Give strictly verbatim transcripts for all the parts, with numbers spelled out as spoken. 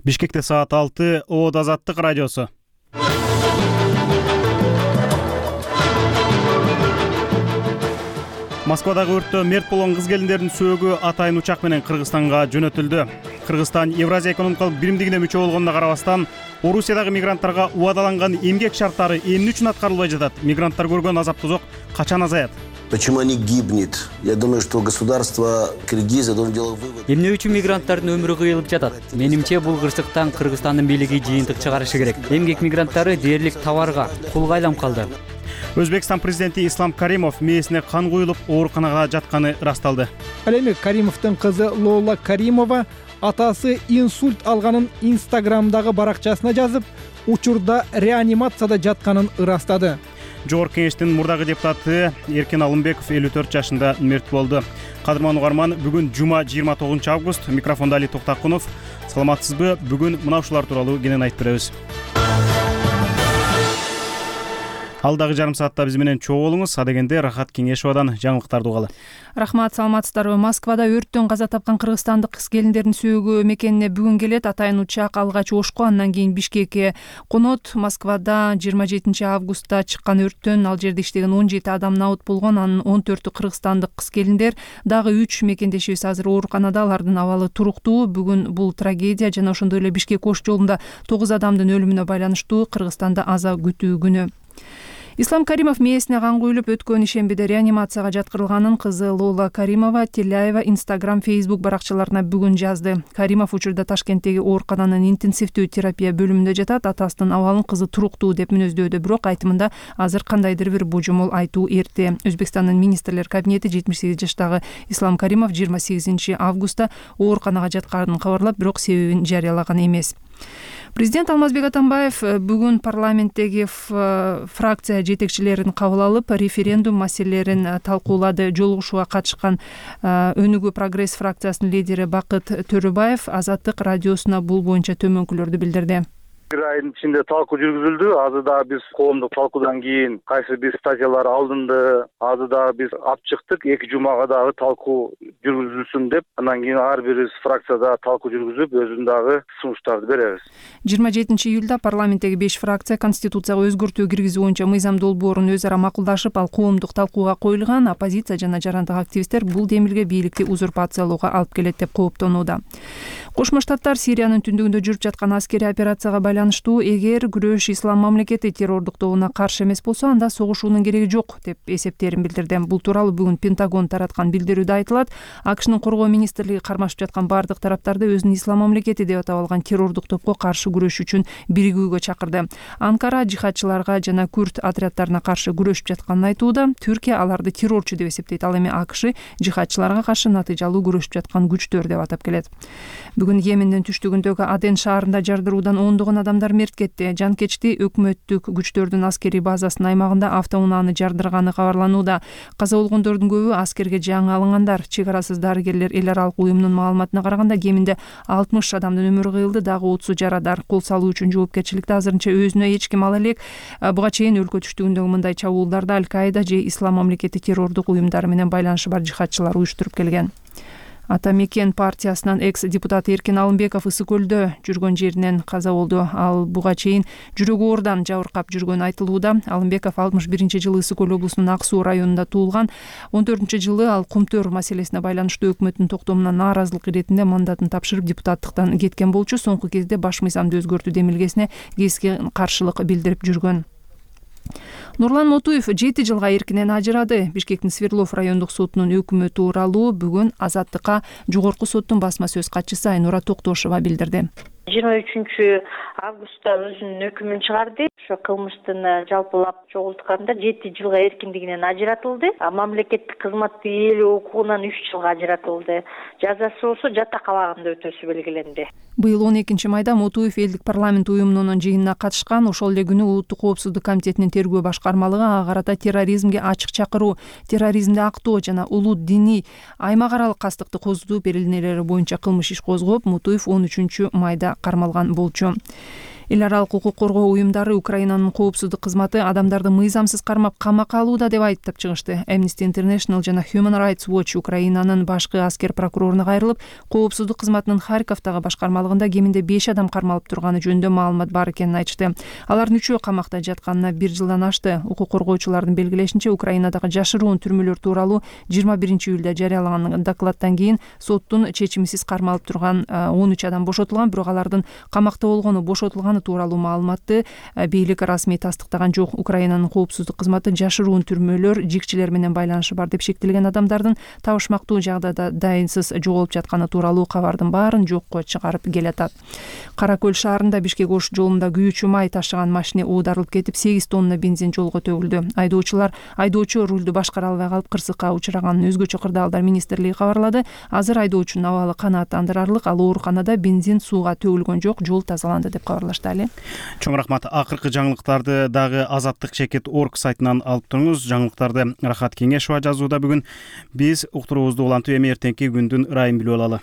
Бишкекте саат алты, Оод Азаттык радиосу. Москвадагы өрттө мерт болгон кыз-келиндердин сөөгү атайын учак менен Кыргызстанга жөнөтүлдү. Кыргызстан Евразия экономикалык биримдигине мүчө болгонуна карабастан, Орусиядагы мигранттарга убадаланган эмгек шарттары эмне үчүн аткарылбай жатат? Мигранттар көргөн азап-тозок качан азаят? Почему они гибнет? Я думаю, что государство Киргизия должно делать вывод. Эмне үчүн мигранттардын өмүрү кыйылып жатат? Менимче, бул кырсыктан Кыргызстандын бийлиги жыйынтык чыгарышы керек. Эмгек мигранттары дээрлик товарга, кулга айланып калды. Өзбекстан президенти Ислам Каримов мээсине кан куюлуп ооруканага жатканы ырасталды. Ал эми Каримовдун кызы Лола Каримова атасы инсульт алганын Инстаграмдагы баракчасына жазып, учурда реанимацияда жатканын ырастады. Жогорку кеңештин мурдагы депутаты Эркен Алымбеков элүү төрт жашында мерт болду. Кадырман угарман, бүгүн жума жыйырма тогузунчу август. Микрофондо Али Токтакунов. Саламатсызбы? Бүгүн мына ушулар тууралуу кенен айтып беребиз. Алдагы жарым саатта биз менен чогуу болуңуз. Адегенде Рахат Кеңешовадан жаңылыктарды угалы. Рахмат, саламатсыздарбы? Москвада өрттөн каза тапкан кыргызстандык кыз-келиндердин сөөгү мекенине бүгүн келет. Атайын учак алгач Ошко, андан кийин Бишкекке конот. Москвада жыйырма жетинчи августта чыккан өрттөн ал жерде иштеген он жети адам набыт болгон. Анын он төртү кыргызстандык кыз-келиндер. Дагы үч мекендешибиз азыр ооруканада, алардын абалы туруктуу. Бүгүн бул трагедия жана ошондой эле Бишкек Ош жолунда тогуз адамдын өлүмүнө байланыштуу Кыргызстанда аза күтүү күнү. Ислам Каримов мээсине кан куюлуп өткөн ишембиде реанимацияга жаткырылганын кызы Лола Каримова Теляева Instagram, Facebook баракчаларына бүгүн жазды. Каримов учурда Ташкенттеги оорукананын интенсивдүү терапия бөлүмүндө жатат. Атасынын абалын кызы туруктуу деп мүнөздөөдө, бирок айтымында азыр кандайдыр бир божомол айтуу эрте. Өзбекстандын министрлер кабинети жетимиш сегиз жаштагы Ислам Каримов жыйырма сегизинчи августта ооруканага жатканын кабарлап, бирок себебин жарыялаган эмес. Президент Алмазбек Атамбаев бүгүн парламенттеги фракция жетекчилерин кабыл алып, референдум маселелерин талкуулады. Жолугушууга катышкан Өнүгүү прогресс фракциясынын лидери Бакыт Төрөбаев Азаттык радиосуна бул боюнча төмөнкүлөрдү билдирди. Бир айдын ичинде талкуу жүргүзүлдү. Азыр да биз коомдук талкуудан кийин кайсы бир статьялар алынды. Азыр да биз алып чыктык. Эки жумага дагы талкуу жүргүзүлсүн деп, андан кийин ар бирибиз фракцияда талкуу жүргүзүп, өзүнүн дагы сунуштарды беребиз. жыйырма жетинчи июлда парламенттеги беш фракция конституцияга өзгөртүү киргизүү боюнча мыйзам долбоорун өзү ара макулдашып, ал коомдук талкууга коюлган. Оппозиция жана жарандык активисттер бул демилге бийликти узурпациялоого алып келет деп кооптонууда. Кошмо Штаттар Сириянын түндүгүндө жүрүп жаткан аскерий операцияга байланыштуу эгер күрөш ислам мамлекети террордук тобуна каршы эмес болсо, анда согушуунун кереги жок деп эсептерин билдирди. Бул тууралуу бүгүн Пентагон тараткан билдирүүдө айтылат. АКШнын коргоо министрлиги кармашып жаткан бардык тараптарды өзүнүн ислам мамлекети деп атап алган террордук топко каршы күрөш үчүн биригүүгө чакырды. Анкара жихадчыларга жана күрд отряддарына каршы күрөшүп жатканын айтууда. Түркия аларды террорчу деп эсептейт. Ал эми АКШ жихадчыларга каршы натыйжалуу күрөшүп жаткан күчтөр деп атап келет. Бүгүн Йемендин түштүгүндөгү Аден шаарында жардыруудан ондогон адамдар мерт кетти. Жанкечти өкмөттүк күчтөрдүн аскерий базасынын аймагында автоунааны жардырганы кабарланууда. Каза болгондордун көбү аскерге жаңы алынгандар. Чек арасыз дарыгерлер эл аралык уюмунун маалыматына караганда кеминде алтымыш адамдын өмүрү кыйылды, дагы отузу жарадар. Кол салуу үчүн жоопкерчиликти азырынча өзүнө эч ким ала элек. Буга чейин өлкө түштүгүндөгү мындай чабуулдарда Аль-Каида же Ислам мамлекети террордук уюмдары менен байланышы бар жихадчылар уюштуруп келген. Ата Мекен партиясынын экс-депутаты Эркен Алымбеков Ысык көлдө жүргөн жеринен каза болду. Ал буга чейин жүрөгү оорудан жабыркап жүргөнү айтылууда. Алымбеков алтымыш биринчи жылы Ысык көл облусунун Ак суу районунда туулган. он төртүнчү жылы ал Кумтөр маселесине байланыштуу өкмөттүн токтомуна нааразылык иретинде мандатын тапшырып депутаттыктан кеткен болчу. Соңку кезде баш мыйзамды өзгөртүү демилгесине keskin каршылык билдирип жүргөн. Нурлан Мотуев жети жылга эркинен ажырады. Бишкектин Свердлов райондук сотунун өкүмү тууралуу бүгүн Азаттыкка жогорку соттун басма сөз катчысы Айнура Токтошова билдирди. жыйырма үчүнчү августта өзүнүн өкүмүн чыгарды. Ошо кылмыштын жалпылап чогултканда жети жылга эркиндигинен ажыратылды. Мамлекеттик кызматты ээлөө укугунан үч жылга ажыратылды. Жазасы болсо жатак абагында өтөсү белгиленди. Быйыл он экинчи майда Мотуев элдик парламент уюмунун жыйынына катышкан. Ошол эле күнү Улуттук коопсуздук комитетинин тергөө башкармалыгы ага карата терроризмге ачык чакыруу, терроризмди актоо жана улут диний аймак аралык кастыкты козутуу берилнелери боюнча кылмыш иш козгоп, Мотуев он үчүнчү майда кармалган болчу. эл аралык укук коргоо уюмдары Украинанын коопсуздук кызматы адамдарды мыйзамсыз кармап камакка алууда деп айыптап чыгышты. Amnesty International жана Human Rights Watch Украинанын башкы аскер прокуроруна кайрылып, коопсуздук кызматынын Харьковдагы башкармалыгында кеминде беш адам кармалып турганы жөнүндө маалымат бар экенин айтышты. Алардын үчөө камакта жатканына бир жылдан ашты. Укук коргоочулардын белгилешинче, Украинадагы жашыруун түрмөлөр тууралуу жыйырма биринчи июлда жарыялаган докладдан кийин соттун чечимисиз кармалып турган он үч адам бошотулган, бирок алардын камакта болгону, бошотулганы тууралуу маалыматты бийлик расмий тастыктаган жок. Украинанын коопсуздук кызматы жашыруун түрмөлөр жигчилер менен байланышы бар деп шектелген адамдардын табышмактуу жагдайда дайынсыз жоголуп жатканы тууралуу кабардын баарын жокко чыгарып келатат. Кара Көл шаарында Бишкек Ош жолунда күйүүчү май ташыган машина оодарылып кетип, сегиз тонна бензин жолго төгүлдү. Айдоочулар айдоочу рулду башкара албай калып кырсыкка учураганын өзгөчө кырдаалдар министрлиги кабарлады. Азыр айдоочунун абалы канааттандырарлык, ал ооруканада, бензин сууга төгүлгөн жок, жол тазаланды деп кабарлашты. Али. Чоң рахмат. Акыркы жаңылыктарды дагы азаттык чекит точка орг сайтынан алып туруңуз. Жаңылыктарды Рахат Кеңешова жазууда. Бүгүн биз уктуруубузду улантып, эми эртеңки күндүн ырайын билип алалы.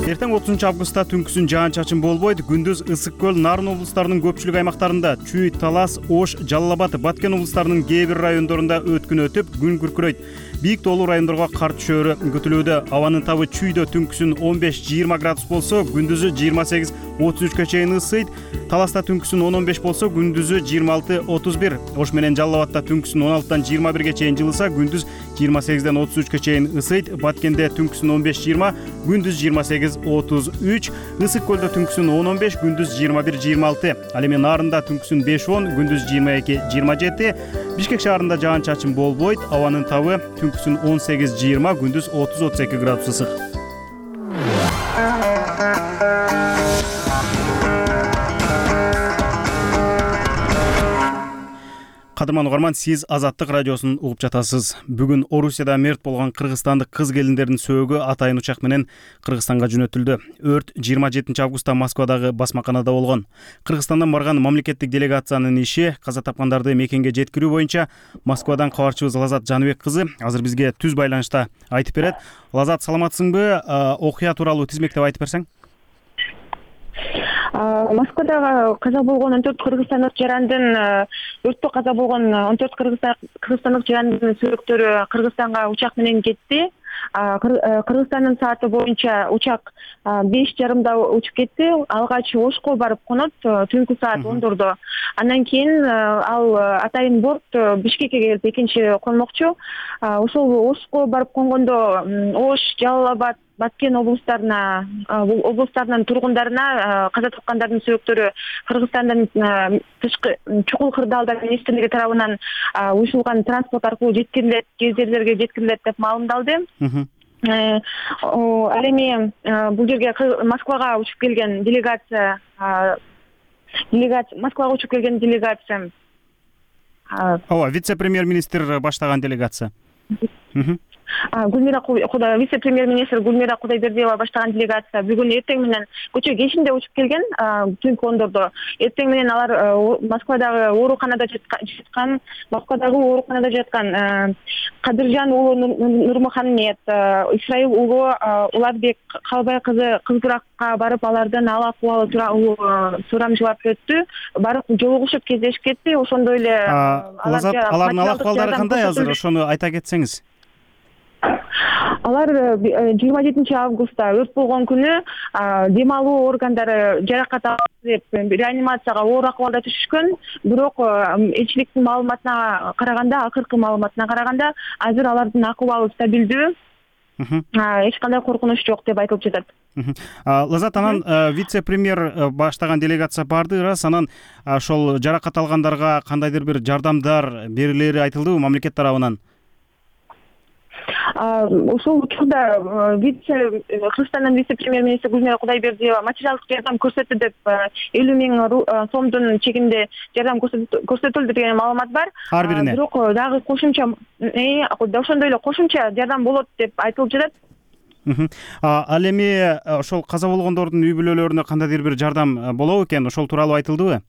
Эртең отузунчу августта түнкүсүн жаан-чачын болбойт. Күндүз Ысык көл, Нарын облустарынын көпчүлүк аймактарында, Чүй, Талас, Ош, Жалал Абад, Баткен облустарынын кээ бир райондорунда өткүн өтүп, күн күркүрөйт. Бийик тоолуу райондорго кар түшөөрү күтүлүүдө. Абанын табы Чүйдө түнкүсүн он беш жыйырма градус болсо, күндүзү жыйырма сегиз отуз үчкө чейин ысыйт. Таласта түнкүсүн он он беш болсо, күндүзү жыйырма алты отуз бир. Ош менен Жалал Абадта түнкүсүн он алтыдан жыйырма бирге чейин жылыса, күндүз жыйырма сегизден отуз үчкө чейин ысыйт. Баткенде түнкүсүн он беш жыйырма, күндүз жыйырма сегиз отуз үч. Ысык көлдө түнкүсүн он он беш, күндүз жыйырма бир жыйырма алты. Ал эми Нарында түнкүсүн беш он, күндүз жыйырма эки жыйырма жети. Бишкек шаарында жаан-чачын болбойт. Абанын табы түнкүсүн он сегиз жыйырма, күндүз отуз отуз эки градус ысык. Кадырман угарман, сиз Азаттык радиосун угуп жатасыз. Бүгүн Орусияда мерт болгон кыргызстандык кыз келиндердин сөөгү атайын учак менен Кыргызстанга жөнөтүлдү. Өрт жыйырма жетинчи августта Москвадагы басмаканада болгон. Кыргызстандан барган мамлекеттик делегациянын иши каза тапкандарды мекенге жеткирүү боюнча Москвадан кабарчыбыз Лазат Жаныбек кызы азыр бизге түз байланышта айтып берет. Лазат, саламатсыңбы? Окуя тууралуу тизмектеп айтып берсең? Москвадагы каза болгон он төрт кыргызстандык жарандын, өрттө каза болгон он төрт кыргызстандык жарандын сөөктөрү Кыргызстанга учак менен кетти. Кыргызстандын сааты боюнча учак беш жарымда учуп кетти. Алгач Ошко барып конот түнкү саат ондордо. Андан кийин ал атайын борт Бишкекке келип экинчи конмокчу. Ошол Ошко барып конгондо Ош, Жалал Абад, Баткен облустарына, облустарынын тургундарына каза тапкандардын сөөктөрү Кыргызстандан тышкы чукул кырдаалдар министрлиги тарабынан уюшулган транспорт аркылуу жеткирилет, кездерлерге жеткирилет деп маалымдалды. Ал эми бул жерге Москвага учуп келген делегация, делегация Москвага учуп келген делегация. Ооба, вице-премьер-министр баштаган делегация. Гүлмира вице-премьер-министр Гүлмира Кудайбердиева баштаган делегация бүгүн эртең менен көчө кешинде учуп келген, түнкү ондордо. Эртең менен алар Москвадагы ооруканада жаткан, Москвадагы ооруканада жаткан Кадыржан уулу Нурмухаммед, Исраил уулу Улатбек Калбай кызы Кызбуракка барып, алардын ал акыбалы тууралуу сурамжылап өттү. Барып жолугушуп кездешип кетти. Ошондой эле алардын ал акыбалдары кандай азыр, ошону айта кетсеңиз? Алар жыйырма жетинчи августта өрт болгон күнү дем алуу органдары жаракат алып деп реанимацияга оор акыбалда түшүшкөн. Бирок элчиликтин маалыматына караганда, акыркы маалыматына караганда, азыр алардын акыбалы стабилдүү. Эч кандай коркунуч жок деп айтылып жатат. Лазат, анан вице-премьер баштаган делегация барды, ырас, анан ошол жаракат алгандарга кандайдыр бир жардамдар берилери айтылдыбы мамлекет тарабынан? Ушул учурда Кыргызстандын вице-премьер-министри Гүлмира Кудайбердиева материалдык жардам көрсөттү деп элүү миң сомдун чегинде жардам көрсөтүлдү деген маалымат бар. Ар бирине. Бирок дагы кошумча, ошондой эле кошумча жардам болот деп айтылып жатат. Ал эми ошол каза болгондордун үй бүлөлөрүнө кандайдыр бир жардам болобу экен? Ошол тууралуу айтылдыбы?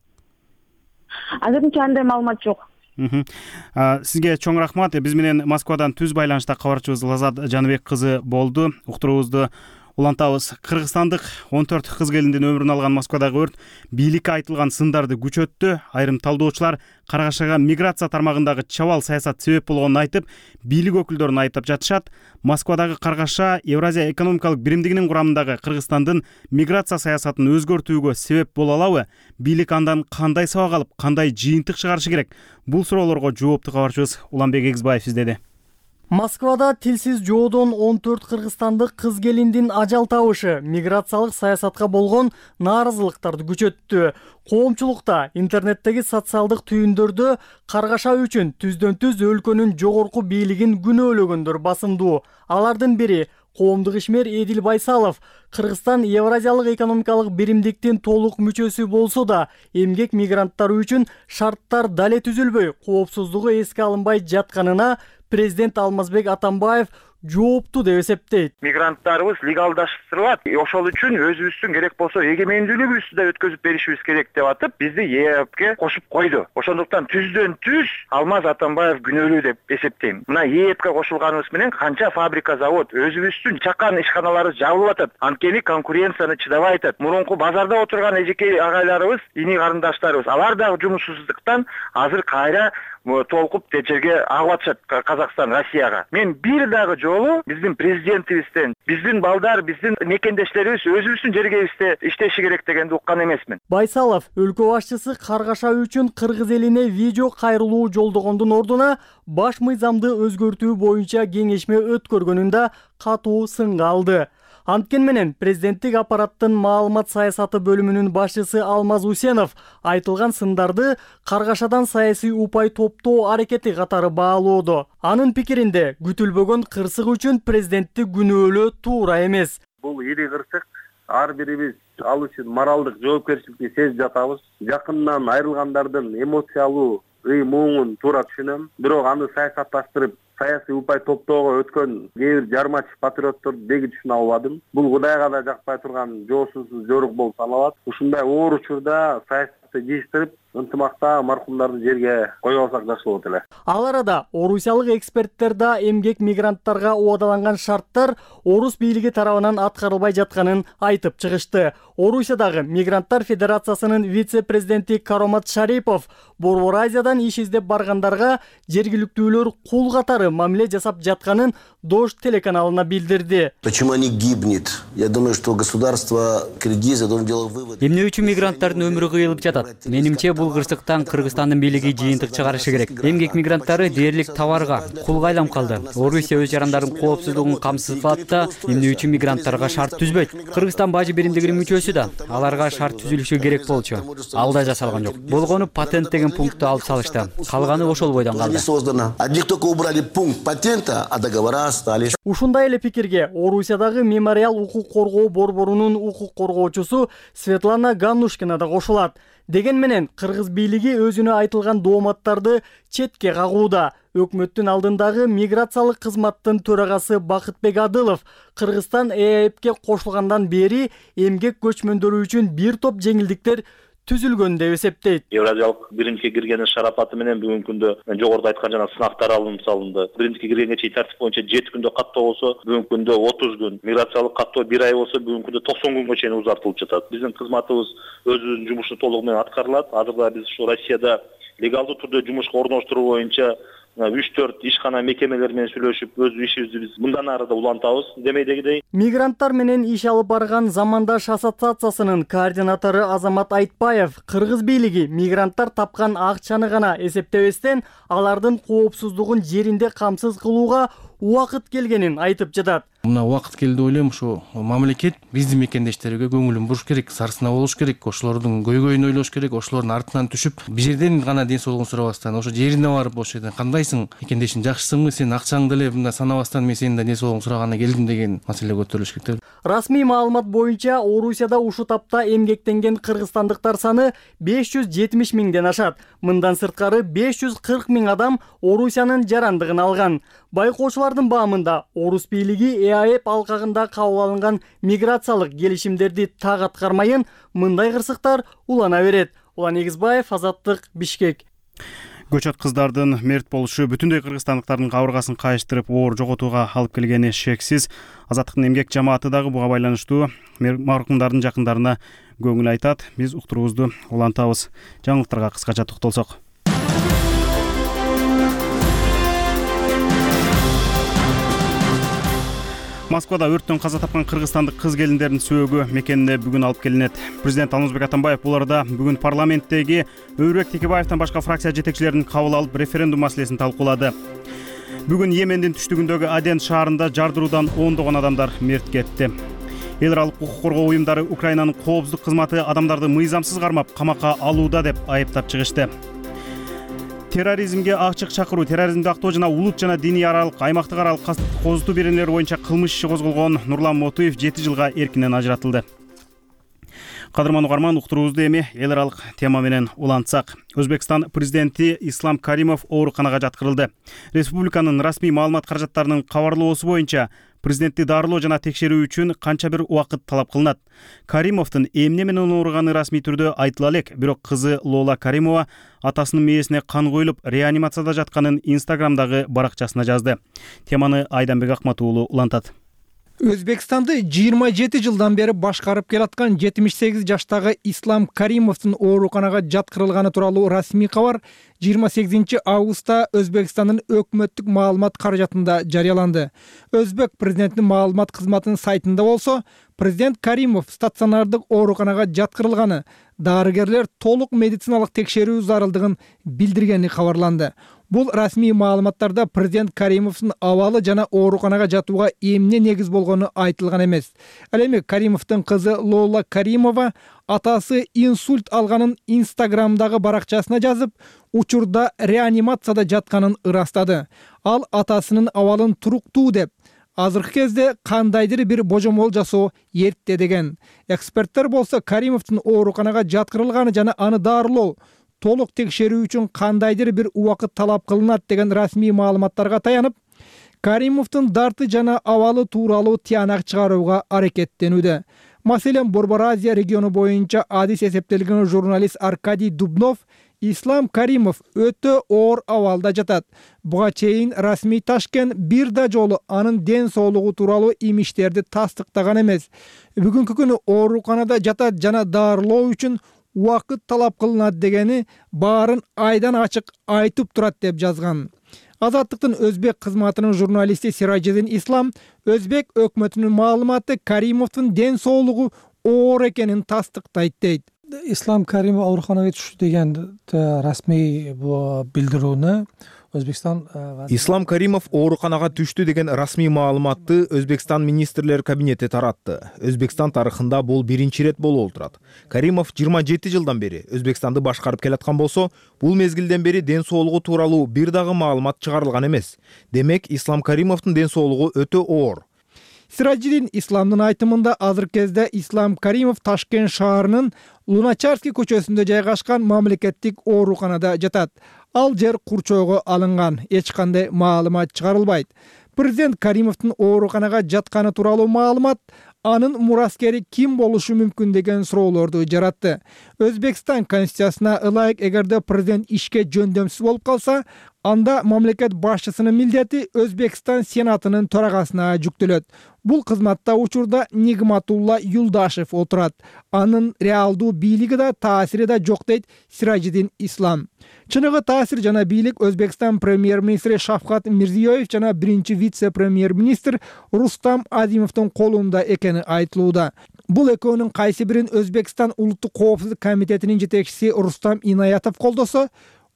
Азырынча андай маалымат жок. Сизге чоң рахмат. Биз менен Москвадан түз байланышта кабарчыбыз Лазат Жаныбек кызы болду. Уктуруубузду Улантабыз. Кыргызстандык он төрт кыз келиндин өмүрүн алган Москвадагы өрт бийликке айтылган сындарды күчөттү. Айрым талдоочулар Каргашага миграция тармагындагы чабал саясат себеп болгонун айтып, бийлик өкүлдөрүн айыптап жатышат. Москвадагы Каргаша Евразия экономикалык биримдигинин курамындагы Кыргызстандын миграция саясатын өзгөртүүгө себеп боло алабы? Бийлик андан кандай сабак алып, кандай жыйынтык чыгарышы керек? Бул суроолорго жоопту кабарчыбыз Уланбек Эгизбаев издеди. Москвада тилсиз жоодон он төрт кыргызстандык кыз келиндин ажал табышы миграциялык саясатка болгон нааразылыктарды күчөттү. Коомчулукта интернеттеги социалдык түйүндөрдө Каргаша үчүн түздөн түз өлкөнүн жогорку бийлигин күнөөлөгөндөр басымдуу. Алардын бири коомдук ишмер Эдил Байсалов. Кыргызстан Евразиялык экономикалык биримдиктин толук мүчөсү болсо да, эмгек мигранттары үчүн шарттар дале түзүлбөй, коопсуздугу эске алынбай жатканына президент Алмазбек Атамбаев жоопту деп эсептейт. Мигранттарыбыз легалдаштырылат. Ошол үчүн өзүбүздүн керек болсо эгемендүүлүгүбүздү да өткөзүп беришибиз керек деп атып, бизди ЕЭПке кошуп койду. Ошондуктан түздөн түз Алмаз Атамбаев күнөөлүү деп эсептейм. Мына ЕЭПке кошулганыбыз менен канча фабрика, завод, өзүбүздүн чакан ишканаларыбыз жабылып атат. Анткени конкуренцияны чыдабай атат. Мурунку базарда отурган эжеке агайларыбыз, ини карындаштарыбыз, алар дагы жумушсуздуктан азыр кайра толкуп жерге агып атышат Казакстан, Россияга. Мен бир дагы жолу биздин президентибизден, биздин балдар, биздин мекендештерибиз өзүбүздүн жергебизде иштеши керек дегенди уккан эмесмин. Байсалов өлкө башчысы Каргаша үчүн кыргыз элине видео кайрылуу жолдогондун ордуна баш мыйзамды өзгөртүү боюнча кеңешме өткөргөнүн да катуу сынга алды. Анткени менен президенттик аппараттын маалымат саясаты бөлүмүнүн башчысы Алмаз Усенов айтылган сындарды Каргашадан саясий упай топтоо аракети катары баалоодо. Анын пикиринде күтүлбөгөн кырсык үчүн президентти күнөөлөө туура эмес. Бул ири кырсык, ар бирибиз ал үчүн моралдык жоопкерчиликти сезип жатабыз. Жакындан айрылгандардын эмоциялуу ый муңун туура түшүнөм. Бирок аны саясатташтырып, саясий упай топтоого өткөн кээ бир жармач патриотторду деги түшүнө албадым. Бул Кудайга да жакпай турган жоосуз жорук болуп саналат. Ушундай оор учурда саясатты жыйыштырып, ынтымакта маркумдарды жерге кое алсак жакшы болот эле. Ал арада орусиялык эксперттер да эмгек мигранттарга убадаланган шарттар орус бийлиги тарабынан аткарылбай жатканын айтып чыгышты. Орусиядагы Мигранттар Федерациясынын вице-президенти Каромат Шарипов Борбор Азиядан иш издеп баргандарга жергиликтүүлөр кул катары мамиле жасап жатканын Дождь телеканалына билдирди. Почему они гибнет? Я думаю, что государство Киргизия должно делать вывод. Эмне үчүн мигранттардын өмүрү кыйылып жатат? Менимче бул кырсыктан Кыргызстандын бийлиги жыйынтык чыгарышы керек. Эмгек мигранттары дээрлик товарга, кулга айланып калды. Орусия өз жарандарын коопсуздугун камсыз кылат да, эмне үчүн мигранттарга шарт түзбөйт? Кыргызстан бажы биримдигинин мүчөсү да, аларга шарт түзүлүшү керек болчу. Ал да жасалган жок. Болгону патент деген пунктту алып салышты. Калганы ошол бойдон калды. Одни только убрали пункт патента, а договора остались. Ушундай эле пикирге Орусиядагы Мемориал укук коргоо борборунун укук коргоочусу Светлана Ганнушкина да кошулат. Деген менен кыргыз бийлиги өзүнө айтылган дооматтарды четке кагууда. Өкмөттүн алдындагы миграциялык кызматтын төрагасы Бакытбек Адылов Кыргызстан ЭЭПке кошулгандан бери эмгек көчмөндөрү үчүн бир топ жеңилдиктер түзүлгөн деп эсептейт. Евразиялык биримдикке киргенин шарапаты менен бүгүнкү күндө жогоруда айткан жана сынактар алынып салынды. Биримдикке киргенге чейин тартип боюнча жети күндө каттоо болсо, бүгүнкү күндө отуз күн, миграциялык каттоо бир ай болсо, бүгүнкү күндө токсон күнгө чейин узартылып жатат. Биздин кызматыбыз өзүнүн жумушу толугу менен аткарылат. Азырда биз ушу Россияда легалдуу түрдө жумушка орноштуруу боюнча үч төрт ишкана мекемелер менен сүйлөшүп, өз ишибизди биз мындан ары да улантабыз. Демейдегидей. Мигранттар менен иш алып барган Замандаш ассоциациясынын координатору Азамат Айтбаев кыргыз бийлиги мигранттар тапкан акчаны гана эсептебестен, алардын коопсуздугун жеринде камсыз кылууга убакыт келгенин айтып жатат. Мына убакыт келди деп ойлойм. Ушу мамлекет биздин мекендештерге көңүлүн буруш керек, сарсына болуш керек, ошолордун көйгөйүн ойлош керек, ошолордун артынан түшүп, бир жерден гана ден соолугун сурабастан, ошо жерине барып, ошол жерден кандайсың, мекендешиң жакшысыңбы, сен акчаңды эле мындай санабастан мен сенин да ден соолугуңду сураганы келдим деген маселе көтөрүлүш керек. Расмий маалымат боюнча Орусияда ушу тапта эмгектенген кыргызстандыктар саны беш жүз жетимиш миңден ашат. Мындан сырткары беш жүз кырк миң адам Орусиянын жарандыгын алган. Байкоочулардын баамында орус бийлиги ЭАЭП алкагында кабыл алынган миграциялык келишимдерди так аткармайын, мындай кырсыктар улана берет. Улан Эгизбаев, Азаттык, Бишкек. Көчөт кыздардын мерт болушу бүтүндөй кыргызстандыктардын кабыргасын кайыштырып, оор жоготууга алып келгени шексиз. Азаттыктын эмгек жамааты дагы буга байланыштуу маркумдардын жакындарына көңүл айтат. Биз уктуруубузду улантабыз. Жаңылыктарга кыскача токтолсок. Москвада өрттөн каза тапкан кыргызстандык кыз келиндердин сөөгү мекенине бүгүн алып келинет. Президент Алмазбек Атамбаев бул арада бүгүн парламенттеги Өбүрбек Текебаевден башка фракция жетекчилерин кабыл алып, референдум маселесин талкуулады. Бүгүн Йемендин түштүгүндөгү Аден шаарында жардыруудан ондогон адамдар мерт кетти. Эл аралык укук коргоо уюмдары Украинанын коопсуздук кызматы адамдарды мыйзамсыз кармап, камакка алууда деп айыптап чыгышты. Терроризмге ачык чакыруу, терроризмди актоо жана улут жана диний аралык аймактык аралык кастык козутуу беренелери боюнча кылмыш иши козголгон Нурлан Мотуев жети жылга эркинен ажыратылды. Кадырман угарман, уктуруубузду эми эл аралык тема менен улантсак. Өзбекстан президенти Ислам Каримов ооруканага жаткырылды. Республиканын расмий маалымат каражаттарынын кабарлоосу боюнча президентти дарылоо жана текшерүү үчүн канча бир убакыт талап кылынат. Каримовдун эмне менен ооруганы расмий түрдө айтыла элек, бирок кызы Лола Каримова атасынын мээсине кан коюлуп, реанимацияда жатканын Инстаграмдагы баракчасына жазды. Теманы Айданбек Акмат уулу улантат. Өзбекстанды жыйырма жети жылдан бери башкарып келаткан жетимиш сегиз жаштагы Ислам Каримовдун ооруканага жаткырылганы тууралуу расмий кабар жыйырма сегизинчи августта Өзбекстандын өкмөттүк маалымат каражатында жарыяланды. Өзбек президентинин маалымат кызматынын сайтында болсо, президент Каримов стационардык ооруканага жаткырылганы, дарыгерлер толук медициналык текшерүү зарылдыгын билдиргени кабарланды. Бул расмий маалыматтарда президент Каримовдун абалы жана ооруканага жатууга эмне негиз болгону айтылган эмес. Ал эми Каримовдун кызы Лола Каримова атасы инсульт алганын Инстаграмдагы баракчасына жазып, учурда реанимацияда жатканын ырастады. Ал атасынын абалын туруктуу деп, азыркы кезде кандайдыр бир божомол жасоо эрте деген. Эксперттер болсо Каримовдун ооруканага жаткырылганы жана аны дарылоо, толук текшерүү үчүн кандайдыр бир убакыт талап кылынат деген расмий маалыматтарга таянып, Каримовдун дарты жана абалы тууралуу тыянак чыгарууга аракеттенүүдө. Маселен, Борбор Азия региону боюнча адис эсептелген журналист Аркадий Дубнов Ислам Каримов өтө оор абалда жатат. Буга чейин расмий Ташкент бир да жолу анын ден соолугу тууралуу имиштерди тастыктаган эмес. Бүгүнкү күнү ооруканада жатат жана дарылоо үчүн убакыт талап кылынат дегени баарын айдан ачык айтып турат деп жазган. Азаттыктын өзбек кызматынын журналисти Сиражидин Ислам өзбек өкмөтүнүн маалыматы Каримовдун ден соолугу оор экенин тастыктайт дейт. Ислам Каримов ооруканага түштү деген расмий билдирүүнү Өзбекстан Ислам Каримов ооруканага түштү деген расмий маалыматты Өзбекстан министрлер кабинети таратты. Өзбекстан тарыхында бул биринчи ирет болуп турат. Каримов жыйырма жети жылдан бери Өзбекстанды башкарып келаткан болсо, бул мезгилден бери ден соолугу тууралуу бир дагы маалымат чыгарылган эмес. Демек, Ислам Каримовдун ден соолугу өтө оор. Сиражидин Исламдын айтымында азыркы кезде Ислам Каримов Ташкент шаарынын Луначарский көчөсүндө жайгашкан мамлекеттик ооруканада жатат. Ал жер курчоого алынган, эч кандай маалымат чыгарылбайт. Президент Каримовдун ооруканага жатканы тууралуу маалымат анын мураскери ким болушу мүмкүн деген суроолорду жаратты. Өзбекстан конституциясына ылайык, эгерде президент ишке жөндөмсүз болуп калса, анда мамлекет башчысынын милдети Өзбекстан сенатынын төрагасына жүктөлөт. Бул кызматта учурда Нигматулла Юлдашев отурат. Анын реалдуу бийлиги да таасири да жок дейт Сиражидин Ислам. Чыныгы таасир жана бийлик Өзбекстан премьер-министри Шавкат Мирзиёев жана биринчи вице-премьер-министр Рустам Азимовдун колунда экени айтылууда. Бул экөөнүн кайсы бирин Өзбекстан улуттук коопсуздук комитетинин жетекчиси Рустам Инаятов колдосо,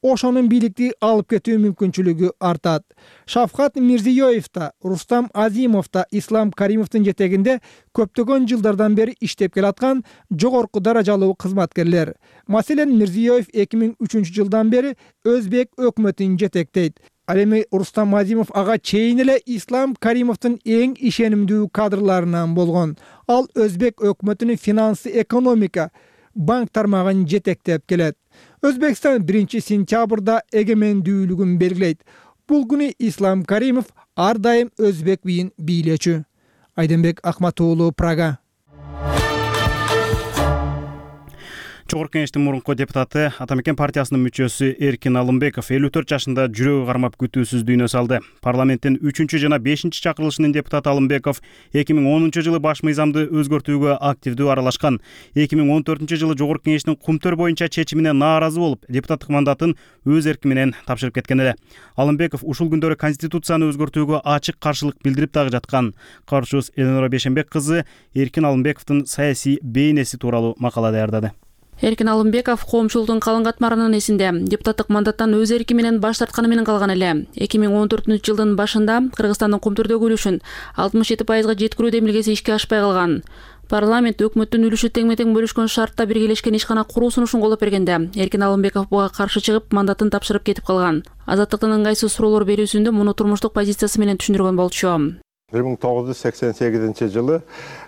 ошонун бийликти алып кетүү мүмкүнчүлүгү артат. Шавкат Мирзиёев да, Рустам Азимов да Ислам Каримовдун жетегинде көптөгөн жылдардан бери иштеп келаткан жогорку даражалуу кызматкерлер. Маселен, Мирзиёев эки миң үчүнчү жылдан бери Өзбек өкмөтүн жетектейт. Ал эми Рустам Азимов ага чейин эле Ислам Каримовдун эң ишенимдүү кадрларынан болгон. Ал Өзбек өкмөтүнүн финансы, экономика, банк тармагын жетектеп келет. Өзбекстан биринчи сентябрда эгемендүүлүгүн белгилейт. Бул күнү Ислам Каримов ар дайым өзбек бийин бийлечү. Айданбек Акмат уулу, Прага. Жогорку Кеңештин мурунку депутаты, Ата Мекен партиясынын мүчөсү Эркин Алымбеков элүү төрт жашында жүрөгү кармап күтүүсүз дүйнө салды. Парламенттин үчүнчү жана бешинчи чакырылышынын депутаты Алымбеков эки миң онунчу жылы баш мыйзамды өзгөртүүгө активдүү аралашкан. эки миң он төртүнчү жылы Жогорку Кеңештин кумтөр боюнча чечимине нааразы болуп, депутаттык мандатын өз эрки менен тапшырып кеткен эле. Алымбеков ушул күндөрү конституцияны өзгөртүүгө ачык каршылык билдирип дагы жаткан. Кабарчыбыз Эленора Бешенбек кызы Эркин Алымбековдун саясий бейнеси тууралуу макала даярдады. Эркин Алымбеков коомчулуктун калың катмарынын эсинде депутаттык мандаттан өз эрки менен баш тартканы менен калган эле. эки миң он төртүнчү жылдын башында Кыргызстандын кумтөрдөгү үлүшүн алтымыш жети пайызга жеткирүү демилгеси ишке ашпай калган. Парламент өкмөттүн үлүшү тең-метең бөлүшкөн шартта биргелешкен ишкана куруу сунушун колдоп бергенде Эркин Алымбеков буга каршы чыгып, мандатын тапшырып кетип калган. Азаттыктын ыңгайсыз суроолор берүүсүндө муну турмуштук позициясы менен түшүндүргөн болчу. бир миң тогуз жүз сексен сегизинчи жылы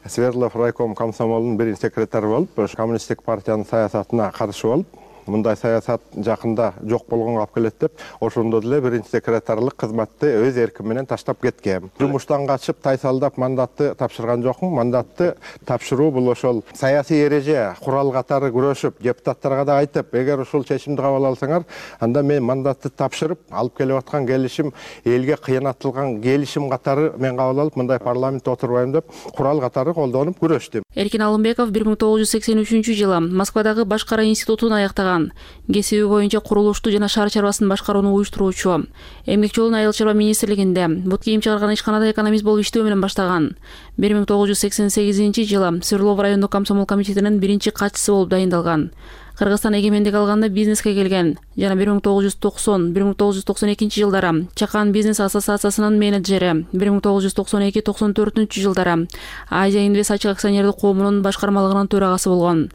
Свердлов райком комсомолунун биринчи секретары болуп, коммунисттик партиянын саясатына каршы болуп, мындай саясат жакында жок болгонго алып келет деп, ошондо деле биринчи секретарлык кызматты өз эрким менен таштап кеткем. Жумуштан качып, тайсалдап мандатты тапшырган жокмун. Мандатты тапшыруу бул ошол саясий эреже, курал катары күрөшүп, депутаттарга да айтып, эгер ушул чечимди кабыл алсаңар, анда мен мандатты тапшырып, алып келип аткан келишим элге кыянатталган келишим катары мен кабыл алып, мындай парламентте отурбайм деп, курал катары колдонуп күрөштүм. Эркин Алымбеков бир миң тогуз жүз сексен үчүнчү жылы Москвадагы Башкара институтун аяктаган. Кесиби боюнча курулушту жана шаар чарбасын башкарууну уюштуруучу. Эмгек жолун Айыл чарба министрлигинде бут кийим чыгарган ишканада экономист болуп иштөө менен баштаган. бир миң тогуз жүз сексен сегизинчи жылы Свердлов райондук комсомол комитетинин биринчи катчысы болуп дайындалган. Кыргызстан эгемендик алганда бизнеске келген жана бир миң тогуз жүз токсон — бир миң тогуз жүз токсон экинчи жылдары Чакан бизнес ассоциациясынын менеджери, бир миң тогуз жүз токсон эки — токсон төртүнчү жылдары Азия Инвест ачык акционердик коомунун башкармалыгынын төрагасы болгон.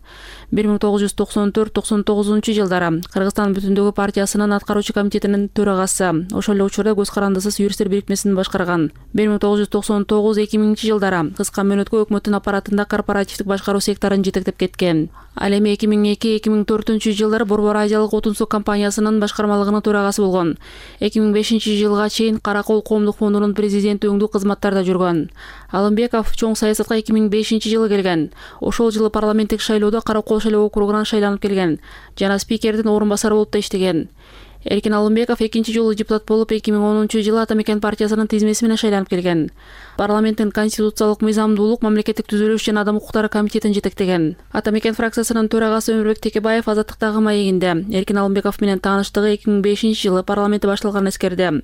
бир миң тогуз жүз токсон төрт — токсон тогузунчу жылдары Кыргызстан бүтүндүгү партиясынын аткаруучу комитетинин төрагасы, ошол эле учурда Көз карандысыз юристтер бирикмесин башкарган. бир миң тогуз жүз токсон тогуз — эки миңинчи жылдары кыска мөөнөткө өкмөттүн аппаратында корпоративдик башкаруу секторун жетектеп кеткен. Ал эми эки миң эки — эки миң төртүнчү жылдары Борбор Азиялык отун суу компаниясынын башкармалыгынын төрагасы болгон. эки миң бешинчи жылга чейин Каракол коомдук фондунун президенти өңдүү кызматтарда жүргөн. Алымбеков чоң саясатка эки миң бешинчи жылы келген. Ошол жылы парламенттик шайлоодо Каракол шайлоо округунан шайланып келген жана спикердин орун басары болуп да иштеген. Эркин Алымбеков экинчи жолу депутат болуп, эки миң онунчу жылы Ата Мекен партиясынын тизмеси менен шайланып келген. Парламенттин конституциялык мыйзамдуулук, мамлекеттик түзүлүш жана адам укуктары комитетин жетектеген. Ата Мекен фракциясынын төрагасы Өмүрбек Текебаев Азаттыктагы маегинде Эркин Алымбеков менен тааныштыгы эки миң бешинчи жылы парламентте башталганын эскерди.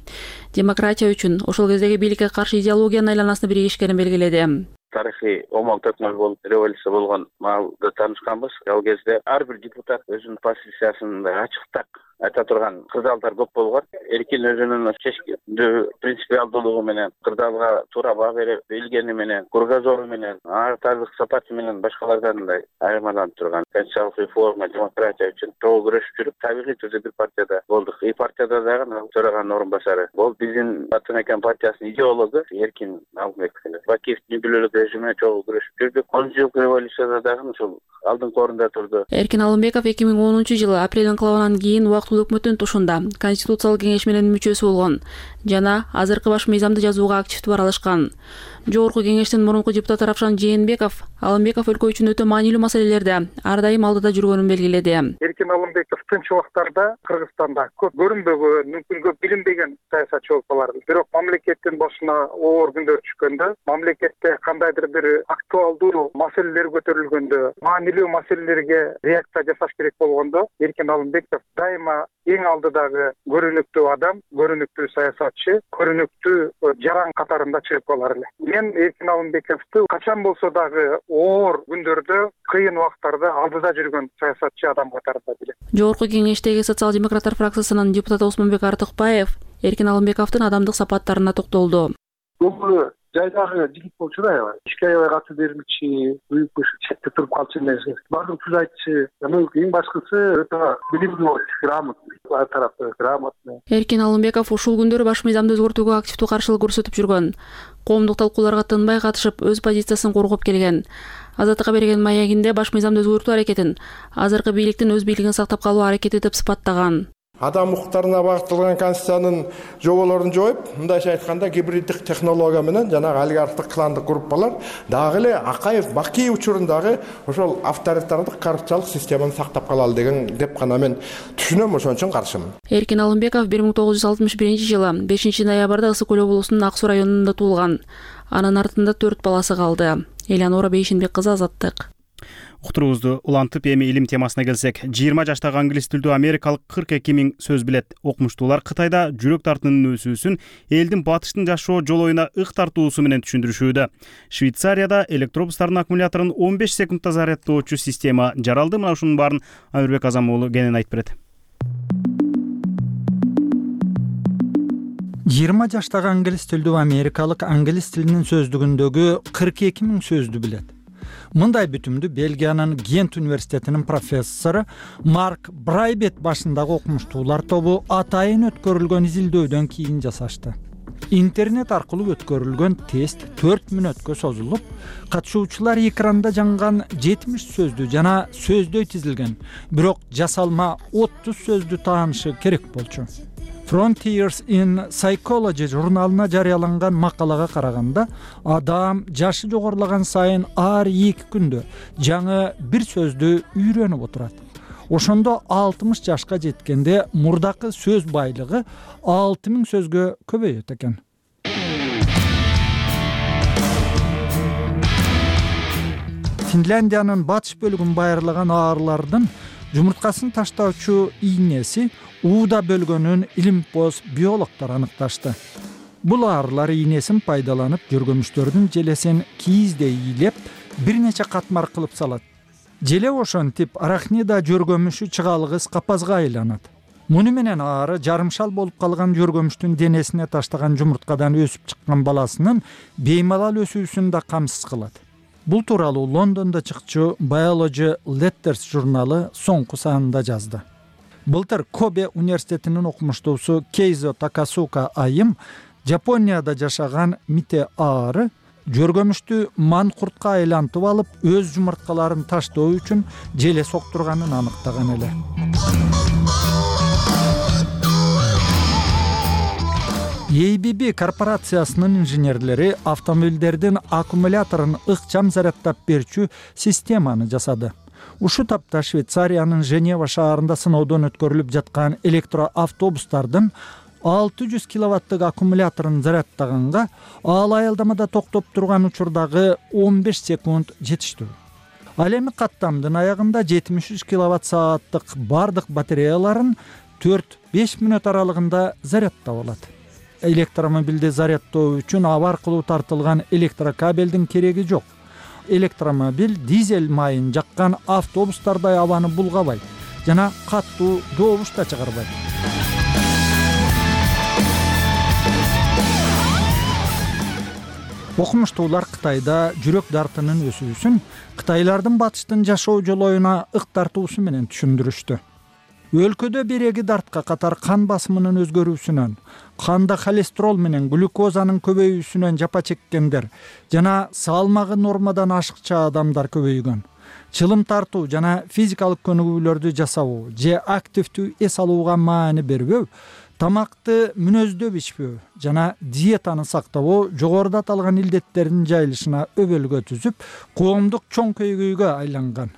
Демократия үчүн ошол кездеги бийликке каршы идеологиянын айланасында биригишкенин белгиледи. Тарыхый омон төкмөл болуп, революция болгон маалда таанышканбыз. Ал кезде ар бир депутат өзүнүн позициясын ачыктап айта турган кырдаалдар көп болгон. Эркин өзүнүн чечкиндүү принципиалдуулугу менен, кырдаалга туура баа берип билгени менен, кругозору менен, артардык сапаты менен башкалардан да айырмаланып турган. Конституциялык реформа, демократия үчүн чогуу күрөшүп жүрүп, табигый түрдө бир партияда болдук. И партияда дагы төраганын орун басары. Бул биздин Ата Мекен партиясынын идеологу Эркин Алымбеков. Бакиевдин бүлөлүк режимине чогуу күрөшүп жүрдүк. он жылкы революцияда дагы ушул алдыңкы орунда турду. Эркин Алымбеков эки миң онунчу жылы апрель инкылабынан кийин убактылуу өкмөттүн тушунда Конституциялык кеңеш менен мүчөсү болгон жана азыркы баш мыйзамды жазууга активдүү аралашкан. Жогорку кеңештин мурунку депутаты Равшан Жээнбеков Алымбеков өлкө үчүн өтө маанилүү маселелерде ар дайым алдыда жүргөнүн белгиледи. Эркин Алымбеков тынч убактарда Кыргызстанда көп көрүнбөгөн, мүмкүн көп билинбеген саясатчы болуп калар. Бирок мамлекеттин башына оор күндөр түшкөндө, мамлекетте кандайдыр бир актуалдуу маселелер көтөрүлгөндө, маанилүү маселелерге реакция жасаш керек болгондо, Эркин Алымбеков дайыма эң алдыдагы көрүнүктүү адам, көрүнүктүү саясатчы, көрүнүктүү жаран катарында чыгып калар эле. Мен Эркин Алымбековду качан болсо дагы оор күндөрдө, кыйын убактарда алдыда жүргөн саясатчы адам катарында билем. Жогорку кеңештеги социал-демократтар фракциясынын депутаты Осмонбек Артыкбаев Эркин Алымбековдун адамдык сапаттарына токтолду. Бул жайдагы жигит болчу да, аябай. Ишке аябай каты бермечи, үйүп четте туруп калчу эмес. Бардык түз айтчы, эң башкысы өтө билимдүү болчу, грамотный, ар тараптуу грамотный. Эркин Алымбеков ушул күндөрү баш мыйзамды өзгөртүүгө активдүү каршылык көрсөтүп жүргөн. Коомдук талкууларга тынбай катышып, өз позициясын коргоп келген. Азаттыкка берген маегинде баш мыйзамды өзгөртүү аракетин азыркы бийликтин өз бийлигин сактап калуу аракети деп сыпаттаган. Адам укуктарына багытталган конституциянын жоболорун жоюп, мындайча айтканда гибриддик технология менен жанагы олигархтык кландык группалар дагы эле Акаев Бакий учурундагы ошол авторитардык коррупциялык системаны сактап калалы деген деп гана мен түшүнөм, ошон үчүн каршымын. Эркин Алымбеков бир миң тогуз жүз алтымыш биринчи жылы бешинчи ноябрда Ысык көл облусунун Ак Суу районунда туулган. Анын артында төрт баласы калды. Элеонора Бейшенбек кызы, Азаттык. Уктуруубузду улантып эми илим темасына келсек, жыйырма жаштагы англис тилдүү америкалык кырк эки миң сөз билет. Окумуштуулар Кытайда жүрөк тартынын өсүүсүн элдин батыштын жашоо жолоюна ык тартуусу менен түшүндүрүшүүдө. Швейцарияда электробустардын аккумуляторун он беш секундда зарядтоочу система жаралды. Мына ушунун баарын Амирбек Азам уулу кенен айтып берет. жыйырма жаштагы англис тилдүү америкалык англис тилинин сөздүгүндөгү кырк эки миң сөздү билет. Мындай бүтүмдү Бельгиянын Гент университетинин профессору Марк Брайбет башындагы окумуштуулар тобу атайын өткөрүлгөн изилдөөдөн кийин жасашты. Интернет аркылуу өткөрүлгөн тест төрт мүнөткө созулуп, катышуучулар экранда жанган жетимиш сөздү жана сөздөй тизилген, бирок жасалма отуз сөздү таанышы керек болчу. Frontiers in Psychology журналына жарыяланган макалага караганда, адам жашы жогорулаган сайын ар эки күндө жаңы бир сөздү үйрөнүп отурат. Ошондо алтымыш жашка жеткенде мурдакы сөз байлыгы алты миң сөзгө көбөйөт экен. Финляндиянын батыш бөлүгүн байырлаган аарылардын жумурткасын таштоочу ийнеси ууда бөлгөнүн илимпоз биологдор аныкташты. Бул аарылар ийнесин пайдаланып жөргөмүштөрдүн желесин кийиздей ийлеп, бир нече катмар кылып салат. Желе ошентип арахнида жөргөмүшү чыгалгыс капазга айланат. Муну менен аары жарымшал болуп калган жөргөмүштүн денесине таштаган жумурткадан өсүп чыккан баласынын беймалал өсүүсүн да камсыз кылат. Бул тууралуу Лондондо чыкчу Biology Letters журналы соңку санында жазды. Былтыр Кобе университетинин окумуштуусу Кейзо Такасука айым Жапонияда жашаган мите аары жөргөмүштү манкуртка айлантып алып, өз жумурткаларын таштоо үчүн желе соктурганын аныктаган эле. эй би би корпорациясынын инженерлери автомобилдердин аккумуляторун ыкчам зарядтап берчү системаны жасады. Ушу тапта Швейцариянын Женева шаарында сыноодон өткөрүлүп жаткан электроавтобустардын алты жүз киловаттык аккумуляторун зарядтаганга ал аялдамада токтоп турган учурдагы он беш секунд жетиштүү. Ал эми каттамдын аягында жетимиш үч киловатт сааттык бардык батареяларын төрт беш мүнөт аралыгында зарядтап алат. Электромобилди зарядтоо үчүн аба аркылуу тартылган электрокабелдин кереги жок. Электромобиль дизель майын жаккан автобустардай абаны булгабайт жана каттуу добуш да чыгарбайт. Окумуштуулар Кытайда жүрөк дартынын өсүүсүн кытайлардын батыштын жашоо жолоюна ык тартуусу менен түшүндүрүштү. Өлкөдө береги дартка катар кан басымынын өзгөрүүсүнөн, канда холестерол менен глюкозанын көбөйүүсүнөн жапа чеккендер жана салмагы нормадан ашыкча адамдар көбөйгөн. Чылым тартуу жана физикалык көнүгүүлөрдү жасабоо же активдүү эс алууга маани бербөө, тамакты мүнөздөп ичпөө жана диетаны сактабоо жогоруда аталган илдеттердин жайылышына өбөлгө түзүп, коомдук чоң көйгөйгө айланган.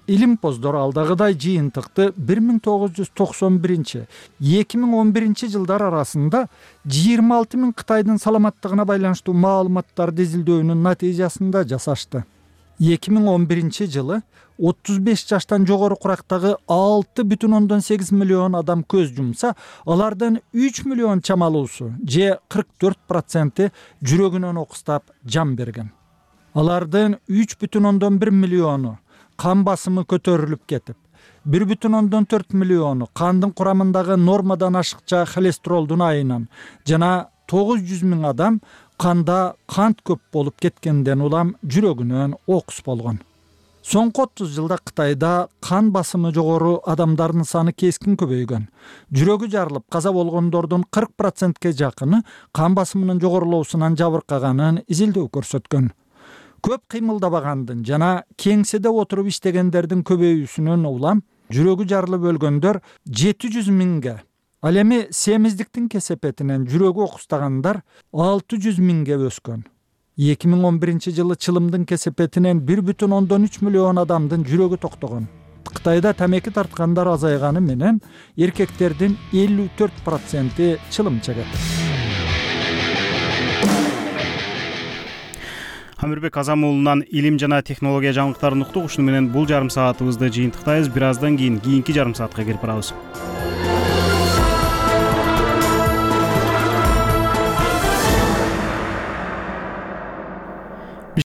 Илимпоздор алдагыдай жыйынтыкты бир миң тогуз жүз токсон биринчи - эки миң он биринчи жылдар арасында жыйырма алты миң Кытайдын саламаттыгына байланыштуу маалыматтарды изилдөөнүн натыйжасында жасашты. эки миң он биринчи жылы отуз беш жаштан жогору курактагы алты бүтүн ондон сегиз миллион адам көз жумса, алардын үч миллион чамалуусу же кырк төрт проценти жүрөгүнөн окустап жан берген. Алардын үч бүтүн ондон бир миллиону кан басымы көтөрүлүп кетип, бир бүтүн ондон төрт миллиону кандын курамындагы нормадан ашыкча холестеролдун айынан жана тогуз жүз миң адам канда кант көп болуп кеткенден улам жүрөгүнөн окус болгон. Соңку отуз жылда Кытайда кан басымы жогору адамдардын саны кескин көбөйгөн. Жүрөгү жарылып каза болгондордун кырк процентке жакыны кан басымынын жогорулоосунан жабыркаганын изилдөө көрсөткөн. Көп кыймылдабагандын жана кеңседе отуруп иштегендердин көбөйүүсүнөн улам жүрөгү жарылып өлгөндөр жети жүз миңге, ал эми семиздиктин кесепетинен жүрөгү окустагандар алты жүз миңге өскөн. эки миң он биринчи жылы чылымдын кесепетинен бир бүтүн ондон үч миллион адамдын жүрөгү токтогон. Кытайда тамеки тарткандар азайганы менен эркектердин элүү төрт проценти чылым чегет. Амирбек Азамуулунан илим жана технология жаңылыктарын уктук. Ушуну менен бул жарым саатыбызды жыйынтыктайбыз. Бир аздан кийин кийинки жарым саатка кирип барабыз.